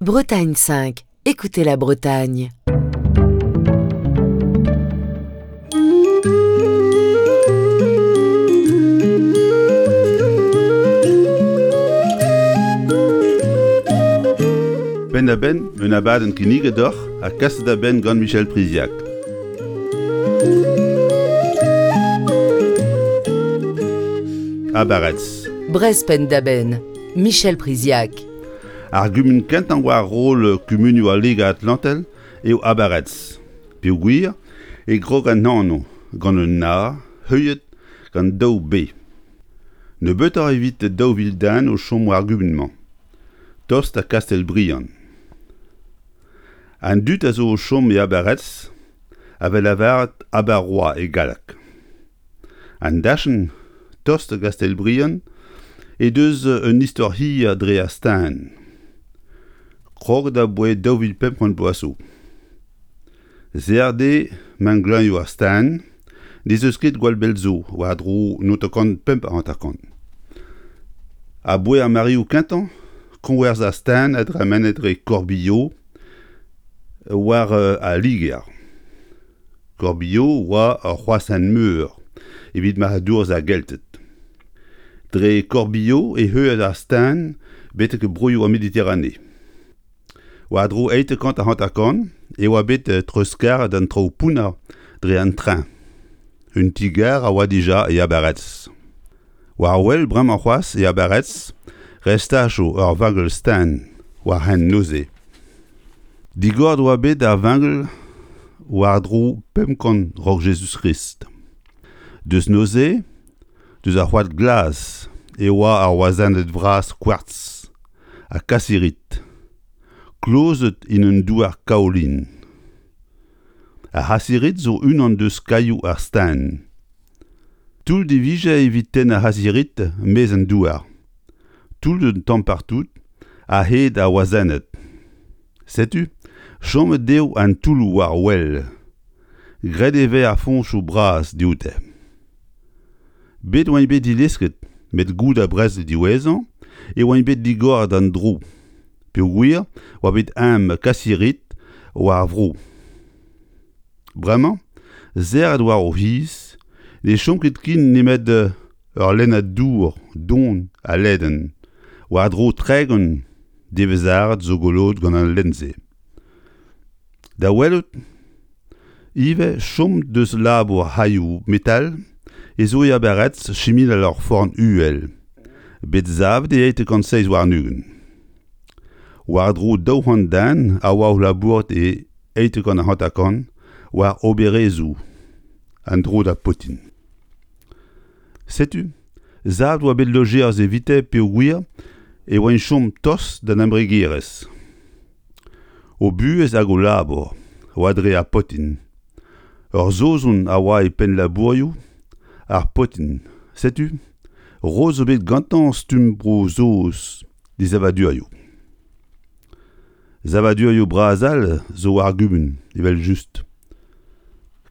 Bretagne 5, écoutez la Bretagne. Penn-da-benn un abadenn kinniget deoc'h ha kaset da benn gant Michel Priziac. Abaretz. Brest penn-da-benn, Michel Priziac. Ar gumun kentañ war roll kumunioù al Liger-Atlantel eo Abaretz, peogwir e krog an anv gant un A heuliet gant daou B. Nebeutoc'h evit 2000 den o chom war gumun-mañ, tost da Kastell-Briant. An dud a zo o chom e Abaretz a vez lavaret Abarois e galleg. An dachenn, tost da Gastell-Briant, he deus un istor hir dre ar staen. Kroget aboae 2500 bloaz zo. Serr eo mengleuzioù ar staen n'ez eus ket gwall bell zo, war-dro 955. Aboae ar mareoù kentañ, koñwerzh ar staen a dremene dre Corbillot war al Liger. Corbillot oa ur c'hroashent meur evit marc'hadourezh ar Gelted. Dre Corbillot e heuilhas ar staen betek broioù ar Mediterane. War-dro 850 e oa bet treuzkaret an traoù pounner dre an tren. Un ti-gar a oa dija e Abaretz. War wel bremañ c'hoazh e Abaretz restajoù ur vangel-staen war hent neuze. Digoret oa bet ar vangel war-dro 500 raok Jezuz-Krist. Deus neuze, deus ar c'hoad glas e oa ar wazenned vras kwartz ha kasirit, klozet en un douar kaolin. Ar c'hasirit zo unan deus kailhoù ar staen. Toull e vije evit tennañ ar c'hasirit maez an douar. Toull un tamm partout a-hed ar wazenned. Setu chomet eo an toulloù war wel. Graet e vez ar foñsoù bras dioute. Bet oant bet dilesket met goude ar brezel diwezhañ e oant bet digoret d'an dro peogwir oa bet eñ kasirit war ar vro. Bremañ, serret war o c'hiz, ne chom ket ken nemet ur lennad dour don ha ledan, war-dro 30 devezh-arat zo goloet gant al lenn-se. Da welout ivez chom deus labour c'hailhoù metal e zo e Abaretz chiminal ur forn uhel, bet savet e 827. War-dro 200 den a oa o labourat e 850 war oberezhioù an dro da Potin. Setu, savet oa bet lojeañs evite peogwir e oant chom tost d'an embregerezh. O buhez hag o labour oa dre ar potin. Ur Saozon a oa e penn labourioù ar potin. Setu, roet zo bet gantañ stumm Bro-Saoz d'e savadurioù. Savadurioù bras all zo war ar gumun, evel-just.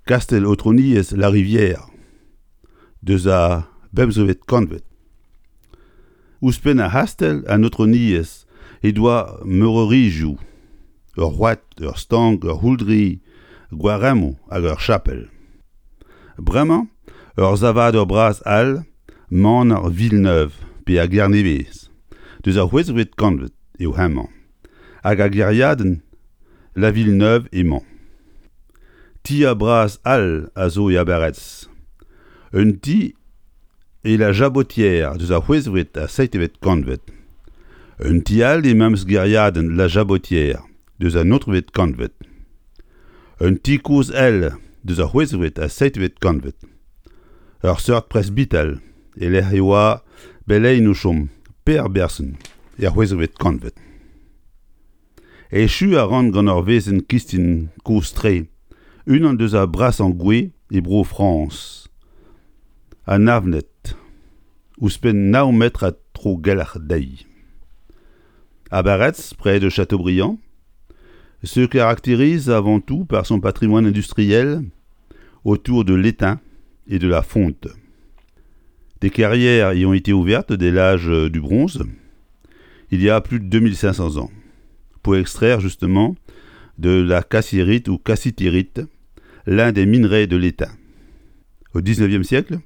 Kastell Aotrouniezh La Rivière, deus ar bemzekvet kantved. Ouzhpenn ar c'hastell an Aotrouniezh he doa meureurioù, ur c'hoad, ur stank, ur c'houldri, gwaremmoù hag ur chapel. Bremañ ur savadur bras all, maner Villeneuve pe ar Gernevez, deus ar c'hwezekvet kantved eo hemañ, hag ar gêriadenn La Villeneuve emañ. Tier bras all a zo e Abaretz. Un ti e La Jabotière deus ar c'hwezekvet ha seitekvet kantved. Un ti all e memes gêriadenn La Jabotière deus an naontekvet kantved. Un ti kozh all deus ar c'hwezekvet ha seitekvet kantved. Ur seurt presbital e-lec'h e oa beleien o chom, Per Berson, er c'hwezekvet kantved. Echu a ran gant ur wezenn kistin kozh-tre, unan deus ar brasañ gwez e Bro-Frañs, an Avned, ouzhpenn nav metrad tro-gelc'h dezhi. Abaretz, près de Châteaubriand, se caractérise avant tout par son patrimoine industriel autour de l'étain et de la fonte. Des carrières y ont été ouvertes dès l'âge du bronze, il y a plus de 2500 ans. pour extraire justement de la cassirite ou cassitérite, l'un des minerais de l'État. Au XIXe siècle,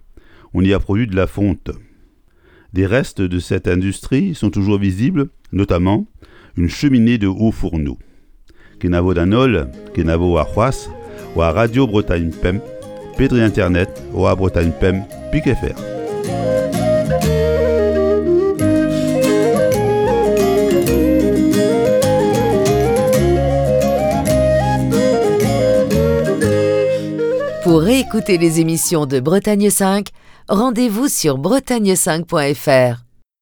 on y a produit de la fonte. Des restes de cette industrie sont toujours visibles, notamment une cheminée de haut fourneau. Kenavo d'an holl, kenavo warc'hoazh war Radio Bretagne Pemp, pe dre internet war Bretagne Pemp pik fr. Pour réécouter les émissions de Bretagne 5, rendez-vous sur bretagne5.fr.